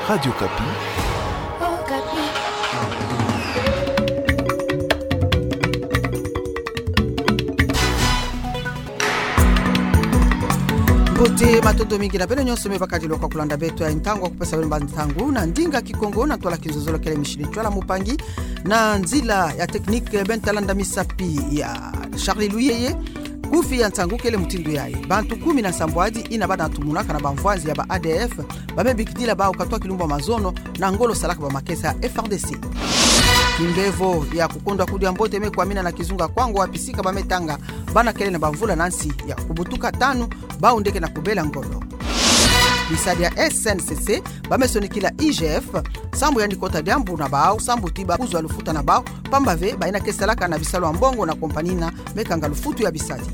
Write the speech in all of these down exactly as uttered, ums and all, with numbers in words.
Radio Okapi. Mbote, matondo mingi na beno nyonso me bakadilwa kwa kulanda beto ya ntangu ya kupesa beno bansangu na ndinga Kikongo na ntwala Kinzonzolo kele Micheline Tshoala Mupangi, na nzila ya technique Benta Landa Misapi ya Charlie Luyeye. Kufi ya nsangu kele mutindu yayi. Bantu kumi na nsambwadi ina bana tumunaka na bamvwanzi ya ba A D F, ba me bikidila bawu katwa kilumbu ya mazono na ngolo salaka bamakesa ya F R D C. Kimbevo ya kukondwa kudia mbote me kwamina na kizunga Kwango, wapi sika ba me tanga bana kele na bamvula na nsi ya kubutuka tanu, bawu nde ke na kubela ngolo. Bisadi ya S N C C ba me sonikila I G F, sambu yandi kota diambu na bawu, sambu ti ba kuzwa lufuta na bawu, pamba ve ba ina ke salaka na bisalu ya mbongo na compagnie ina me kanga lufutu ya bisadi.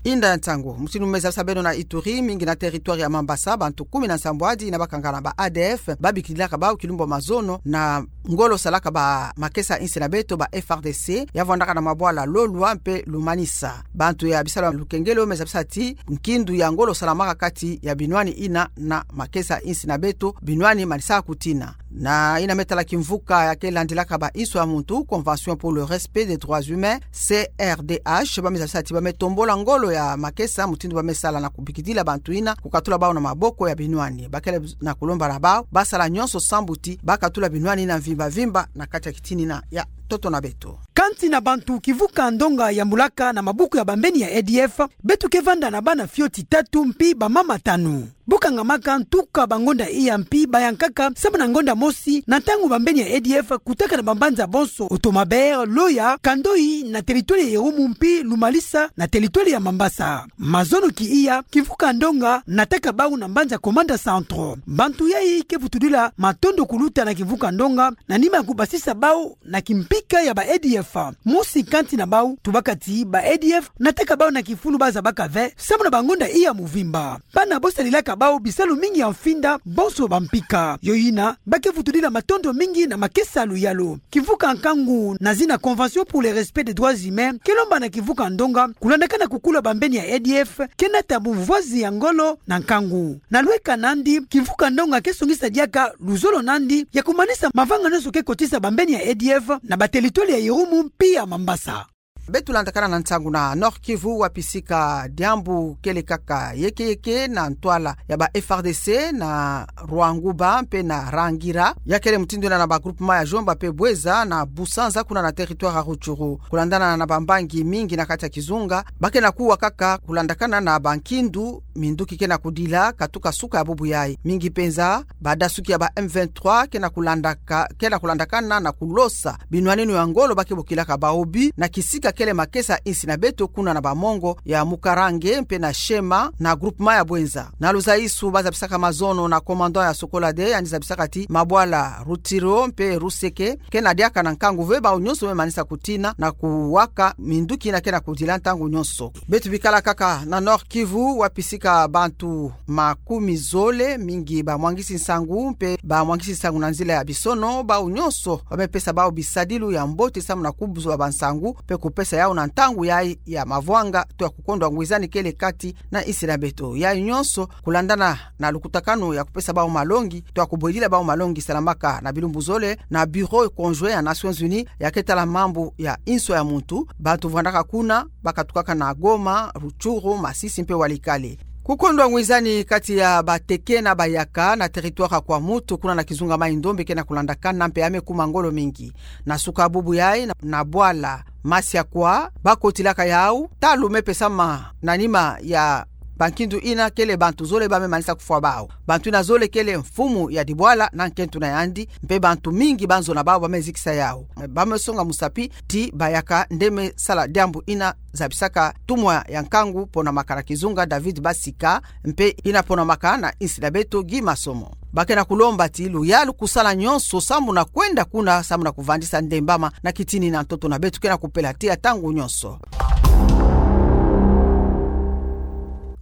Inda ya nsangu. Mutindu me zabisa beno, na Ituri, mingi na territoire ya Mambasa, bantu kumi na nsambwadi ina bakangaka na ba A D F, ba bikidilaka bawu kilumbu ya mazono na ngolo salaka bamakesa ya insi na beto, ba F R D C, ya vwandaka na mabwala Lolwa mpe Lumanisa. Bantu ya bisalu ya lukengelo me zabisa ti nkindu ya ngolo salamaka kati ya binwani ina na makesa ya insi na beto, binwani manisaka kutina. Na ina me tala kimvuka ya ke landilaka ba inso ya muntu, Convention pour le respect des droits humains, C R D H, ba me zabisa ti ba me tombola ngolo ya makesa, mutindu ba me sala na kubikidila bantu ina, kukatula bawu na maboko ya binwani. Ba kele na kulomba na bawu ba sala nyonso sambu ti ba katula binwani ina mvimba mvimba na kati ya kitini ina ya ntoto na beto. Kanti na bantu kivuka ndonga yambulaka na mabuku ya bambeni ya A D F, beto ke vanda na bana fioti tatu mpi bamama tanu. Bo kangamaka ntuka bangonda iya mpi bayankaka samu na ngonda mosi, na ntangu bambeni ya A D F kutaka na bambanza bonso Otomabere, Loya, Kandoi na territoire ya Irumu mpi Lumalisa na territoire ya Mambasa. Mazono ki iya, kivuka ndonga nataka bawu na mbanza Komanda Centre. Bantu yayi ke vutudila matondo kuluta na kivuka ndonga na nima ya kubasisa bawu na kimpika ya ba A D F. Mosi kanti na bawu tubaka ti ba A D F nataka bawu na kifulu ba zabaka ve samu na bangonda iya mvimba. Bana bo salilaka bawu bisalu mingi ya mfinda bonso bampika. Yo ina ba ke vutudila matondo mingi na makesa ya luyalu. Kivuka nkangu na zina Convention pour le respect des droits humains ke lomba na kivuka ndonga kulandakana kukula bambeni ya A D F ke nata bumvwazi ya ngolo na nkangu. Na lweka nandi, kivuka ndonga ke songisa diaka luzolo nandi ya kumanisa mavanga nyonso ke kotisa bambeni ya A D F na ba territoire ya Irumu mpi ya Mambasa. Beto landakana na nsangu na Nord-Kivu, wapi sika diambu kele kaka yeke yeke na ntwala ya ba F R D C na Rwanguba mpe na Rangira, ya kele mutindu ina na ba groupement ya Jomba mpe Bweza na Busanza kuna na territoire ya Rutshuru. Kulandana na bambangi mingi na kati ya kizunga, ba ke na kuwa kaka kulandakana na bankindu, minduki ke na kudila katuka suka ya bubu yayi. Mingi penza badasuki ya ba M vingt-trois ke na kulandaka-, ke na kulandakana na kulosa binwaninu ya ngolo ba ke bokilaka baobi na kisika kele makesa ya insi na beto kuna na bamongo ya Mukarange mpe na Shema na groupement ya Bwenza. Na luzaisu ba zabisaka mazono na commandant ya Sokolade, yandi zabisaka ti mabwala Rutshuru mpe Ruseke ke na diaka na nkangu ve, bawu nyonso me manisa kutina na kuwaka minduki ina ke na kudila ntangu nyonso. Beto bikala kaka na Nord-Kivu, wapi sika bantu makumi zole, mingi bamwangisi nsangu mpe bamwangisi nsangu na nzila ya bisono, bawu nyonso ba me pesa bawu bisadilu ya mbote samu na kubuzwa bansangu mpe kupesa yawu na ntangu yayi ya mavwanga to ya kukondwa ngwizani kele kati na insi na beto. Yayi nyonso kulandana na lukutakanu ya kupesa bawu malongi to ya kubwedila bawu malongi salamaka na bilumbu zole na Bureau conjoint ya Nations Unies ya ke tala mambu ya inso ya muntu. Bantu vwandaka kuna ba katukaka na Goma, Rutshuru, Masisi mpe Walikale. Kukondwa ngwizani kati ya bateke na bayaka na territoire ya Kwamouth kuna na kizunga Maï-Ndombe ke na kulandakana mpe ya me kuma ngolo mingi. Na suka bubu yayi na, na bwala Masiakwa ba kotilaka yawu, talu me pesama na nima ya bankindu ina kele bantu zole ba me manisa kufwa bawu. Bantu ina zole kele mfumu ya dibwala na nkento na yandi, mpe bantu mingi ba nzo na bawu ba me zikisa yawu. Ba me songa musapi ti bayaka nde me sala diambu ina zabisaka tumwa ya nkangu pona makala kizunga David Basika, mpe ina pona makala na insi na beto Guy Massomo. Ba ke na kulomba ti luyalu kusala nyonso samu na kwenda kuna samu na kuvandisa ndembama na kitini na ntoto na beto ke na kupela tiya ntangu nyonso.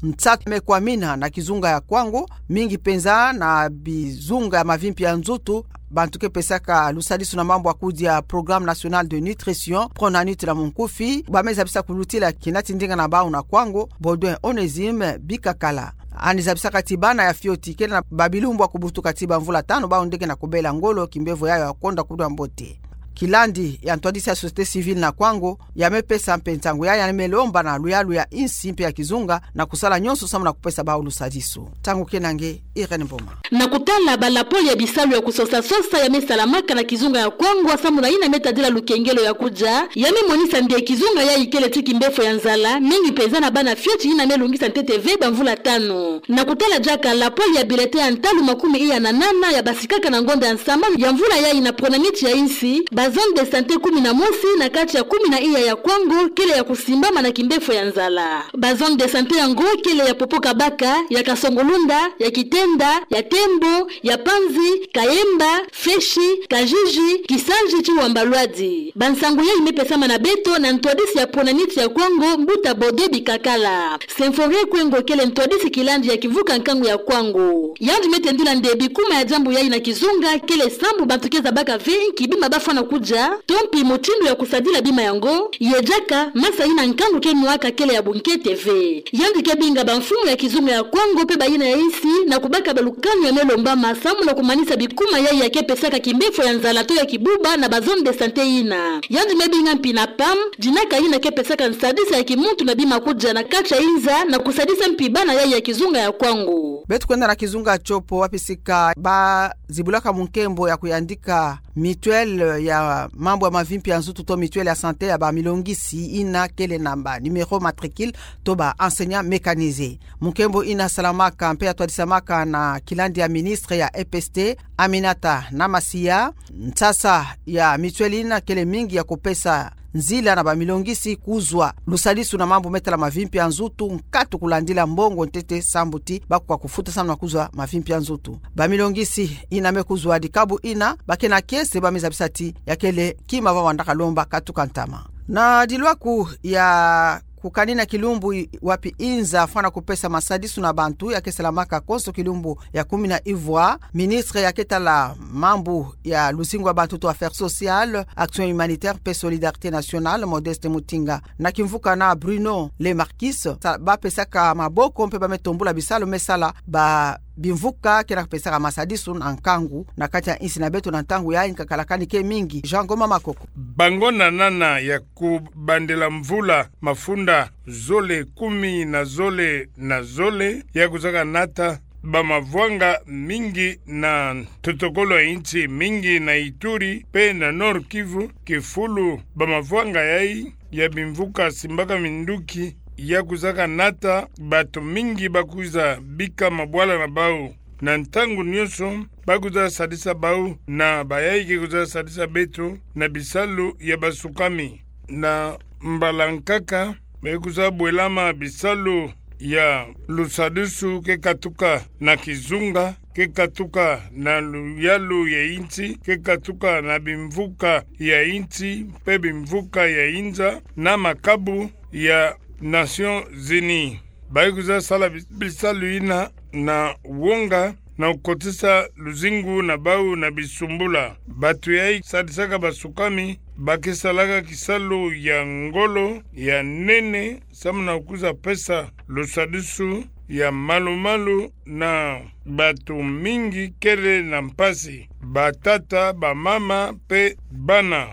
Nsatu me kwamina na kizunga ya Kwango, mingi penza na bizunga ya mavimpi ya nzutu, bantu ke pesaka lusadisu na mambu ya kudia Programme National de Nutrition, PRONANUT na munkufi, bamezabisa kulutila kina tindinga na bau na Kwango, Baudouin Onésime Bikakala. Anizabisaka ti bana ya fioti kele na babilumbu ya kubutuka ti bamvula tanu, bau nde ke na kubela ngolo kimbevo yayo ya konda kudia mbote. Kilandi ya ntwadisi ya société civile na Kwango, ya mepesa mpe nsangu yayi, ya melomba na luyalu ya insi mpe ya kizunga na kusala nyonso samu na kupesa bau lusadisu. Ntangu kena nge Irène Mboma. Na kutala ba lapole ya bisalu ya kusosa-sosa ya mesalamaka na kizunga ya Kwango samu na yina metadila lukengelo ya kudia, ya memonisa nde kizunga yayi kele ti kimbefo ya nzala, mingi mpenza na bana fioti yina melungisa ntete ve bamvula tanu. Na kutala diaka lapole ya bulletin ya ntalu makumi iya na nana ya basikaka na ngonda ya nsambanu ya mvula yayi na PRONANUT ya insi, ba zone de santé kumi na mosi na kati ya kumi na iya ya Kwango kele ya kusimbama na kimbefo ya nzala. Ba zone de santé yango kele ya Popokabaka, ya Kasongolunda, ya Kitenda, ya Tembo, ya Panzi, Kayemba, Feshi, Kajiji, Kisanji ti Wamba Lwadi. Bansangu yayi mepesama na beto na ntwadisi ya PRONANUT ya Kwango, Mbuta Baudouin Bikakala. Symphorien Kwengo kele ntwadisi kilandi ya kimvuka nkangu ya Kwango. Yandi metendula nde bikuma ya diambu yayi na kizunga kele sambu bantu ke zabaka ve inki bima bafwana kudia, to mpi mutindu ya kusadila bima yango, ye diaka masa yina nkangu ke nwaka kele ya bunkete ve. Yandi ke binga bamfumu ya kizunga ya Kwango mpe bayina ya insi na kubaka balukanu ya melombama samu na kumanisa bikuma yayi ya ke pesaka kimbefo ya nzala to ya kibuba na ba zone de santé yina. Yandi mebinga mpi na PAM, dinaka yina ke pesaka nsadisa ya kimuntu na bima kudia na kati ya inza na kusadisa mpi bana yayi ya kizunga ya Kwango. Beto kwenda na kizunga Tshopo, wapi sika bazibulaka munkembo ya kuyandika mutuelle ya mambu ya mavimpi ya nzutu to mutuelle ya santé ya bamilongisi yina kele na ba numéro matricule to ba enseignant mécanisé. Munkembo yina salamaka mpe ya twadisamaka na kilandi ya ministre ya E P S T, Aminata Namasiya. Nsasa ya mutuelle yina kele mingi ya kupesa nzila na bamilongisi kuzwa lusadisu na mambu metala mavimpi ya nzutu, nkatu kulandila mbongo ntete sambu ti bakoka kufuta samu na kuzwa mavimpi ya nzutu. Bamilongisi yina me kuzwa dikabu yina, ba ke na kiese, bamezabisa ti ya kele kima ba wandaka lomba katuka ntama. Na dilwaku ya kukanina kilumbu i-, wapi inza fwana kupesa masadisu na bantu ya ke salamaka konso kilumbu ya kumi na ivwa, ministre ya ke tala mambu ya luzingu ya bantu to affaires sociales, action humanitaire mpe solidarité nationale, Modeste Mutinga, na kimvuka na Bruno Le Marquis, sa-, bapesaka maboko mpe bametombula bisalu mesala ba bimvuka ke na kupesaka masadisu na nkangu na kati ya insi na beto na ntangu yayi nkakala kani ke mingi. Jean Ngoma Makoko. Bango na nana ya kubandela mvula mafunda zole kumi na zole na zole ya kuzaka nata bamavwanga mingi na ntotokolo ya insi, mingi na Ituri mpe na Nord-Kivu, kifulu bamavwanga yayi ya bimvuka simbaka minduki ya kuzaka nata, bato mingi bakwiza bika mabwala na bau. Na ntangu nyonso bakwiza sadisa bau na bayayi ke kwiza sadisa beto na bisalu ya basukami. Na mbala nkaka, me kwiza bwelama bisalu ya lusadisu ke katuka na kizunga, ke katuka na luyalu ya insi, ke katuka na bimvuka ya insi mpe bimvuka ya inza, na makabu ya Nations Unies. Ba kwiza sala bis-, bisalu yina na wonga, na kukotisa luzingu na bau na bisumbula. Bato yayi sadisaka basukami, ba ke salaka kisalu ya ngolo, ya nene, samu na kwiza pesa lusadisu ya malu-malu na bato mingi kele na mpasi, batata, bamama mpe bana.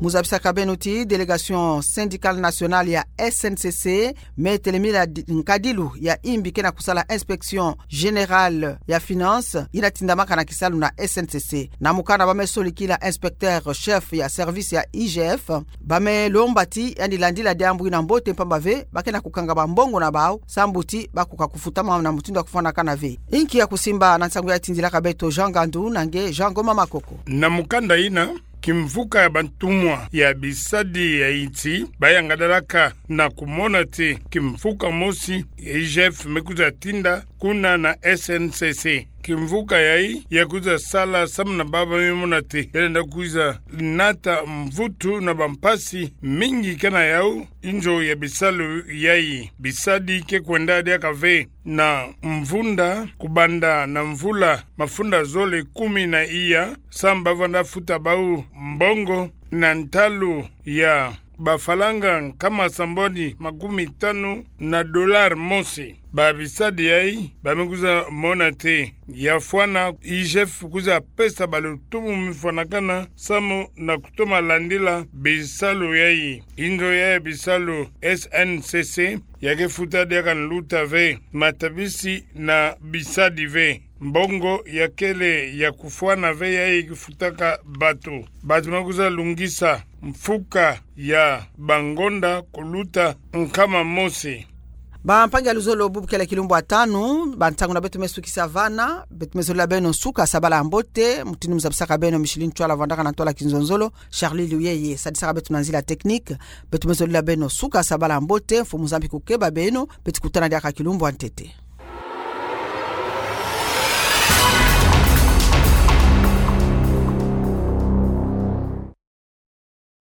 Mu zabisaka beno ti délégation syndicale nationale ya S N C C me telemila di-, nkadilu ya imbi ke na kusala inspection générale ya finances, yina tindamaka na kisalu na S N C C. Na mukanda ba me solikila inspecteur chef ya service ya I G F, ba me lomba ti yandi landila diambu yina mbote mpamba ve ba ke na kukanga bambongo na bau, sambu ti bakoka kufutama na mutindu ya kufwanakana ve. Inki ya kusimba na nsangu ya tindilaka beto Jean Ngandu na nge Jean Ngoma Makoko. Na mukanda yina, kimvuka ya bantumwa ya bisadi ya insi, ba yangadalaka na kumona ti kimvuka mosi ya I G F me kwiza tinda kuna na S N C C. kimvuka yayi, ya kwiza sala samu na baba mi mona te yalenda kwiza nata mvutu na bampasi mingi kana yau, inzo ya bisalu yayi. Bisadi ke kwenda diaka ve na mvunda, kubanda na mvula mafunda zole kumi na iya, samu bavwanda futa bau mbongo na ntalu ya bafalanga nkama sambwani makumi tanu na dollar mosi. Babisadi yayi, bamekwiza mona te yafwana, I G F kwiza pesa balo tumu mifwanakana, samu na kutoma landila bisalu yayi. Inzo ya bisalu S N C C, ya ke futa diaka nluta ve, matabisi na bisadi ve. Mbongo ya kele ya kufwana ve yayi kifutaka bato. Bato bakwiza lungisa mfuka ya bangonda kuluta nkama mosi. Bampangi ya luzolo, bubu kele kilumbu ya tanu, bantangu na beto mesukisa vana, beto mezolila beno suka sabala mbote, mutindu muzabisaka beno Micheline Ntwala, vandaka na ntwala kinzonzolo, Charlie Luyeye sadisaka beto na nzila technique, beto mezolila beno suka sabala mbote, Mfumu Nzambi kukeba beno, beto kutana diaka kilumbu ya ntete.